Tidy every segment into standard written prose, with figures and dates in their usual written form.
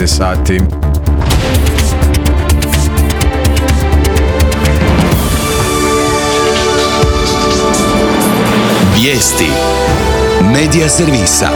19 sati. Vijesti Medija servisa.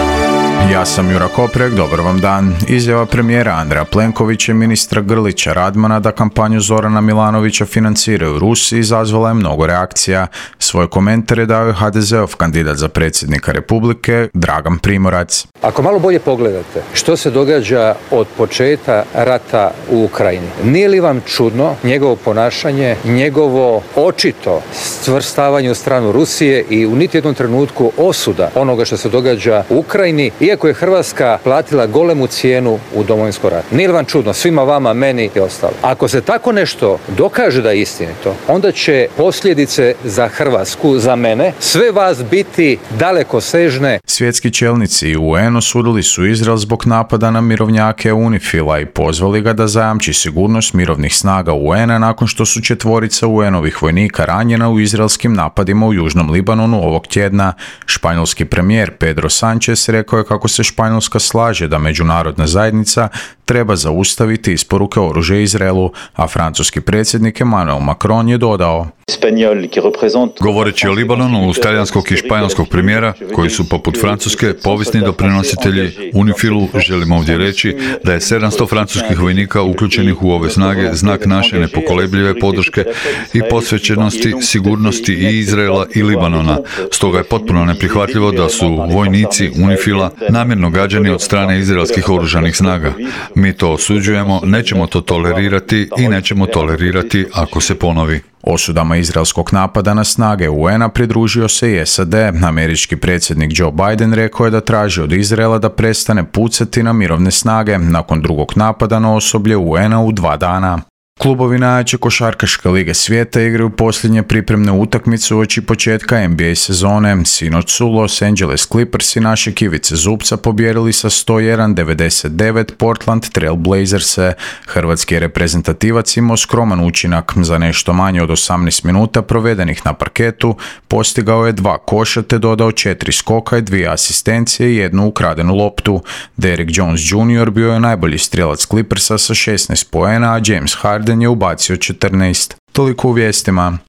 Ja sam Jura Koprek, dobar vam dan. Izjava premijera Andreja Plenkovića i ministra Grlića Radmana da kampanju Zorana Milanovića financiraju Rusi izazvala je mnogo reakcija. Svoje komentare dao je HDZ-ov kandidat za predsjednika Republike, Dragan Primorac. Ako malo bolje pogledate što se događa od početka rata u Ukrajini, nije li vam čudno njegovo ponašanje, njegovo očito stvrstavanje u stranu Rusije i u niti jednom trenutku osuda onoga što se događa u Ukrajini, iako je Hrvatska platila golemu cijenu u Domovinskom ratu. Nije li vam čudno, svima vama, meni i ostalo? Ako se tako nešto dokaže da je istinito, onda će posljedice za Hrvatsku, za mene, sve vas biti dalekosežne. Svjetski čelnici i UN osudili su Izrael zbog napada na mirovnjake UNIFIL-a i pozvali ga da zajamči sigurnost mirovnih snaga UN-a nakon što su 4 UN-ovih vojnika ranjena u izraelskim napadima u Južnom Libanonu ovog tjedna. Španjolski premijer Pedro Sánchez rekao je kako se Španjolska slaže da međunarodna zajednica treba zaustaviti isporuke oružja Izraelu, a francuski predsjednik Emmanuel Macron je dodao: Govoreći o Libanonu, uz talijanskog i španjolskog premijera, koji su poput Francuske povisni doprinositelji UNIFIL-u, želim ovdje reći da je 700 francuskih vojnika uključenih u ove snage znak naše nepokolebljive podrške i posvećenosti sigurnosti i Izraela i Libanona. Stoga je potpuno neprihvatljivo da su vojnici UNIFIL-a namjerno gađani od strane izraelskih oružanih snaga. Mi to osuđujemo, nećemo to tolerirati i nećemo tolerirati ako se ponovi. Osudama izraelskog napada na snage UN-a pridružio se i SAD. Američki predsjednik Joe Biden rekao je da traži od Izraela da prestane pucati na mirovne snage nakon drugog napada na osoblje UN-a u 2 dana. Klubovi najjače košarkaške lige svijeta igraju posljednje pripremne utakmice uoči početka NBA sezone. Sinoć su Los Angeles Clippers i naše Ivice Zubca pobjedili sa 101-99 Portland Trail Blazerse. Hrvatski reprezentativac imao skroman učinak. Za nešto manje od 18 minuta provedenih na parketu postigao je 2 koša te dodao 4 skoka i 2 asistencije i 1 ukradenu loptu. Derrick Jones Jr. bio je najbolji strijelac Clippersa sa 16 poena, a James Harden je ubacio 14. Toliko u vijestima.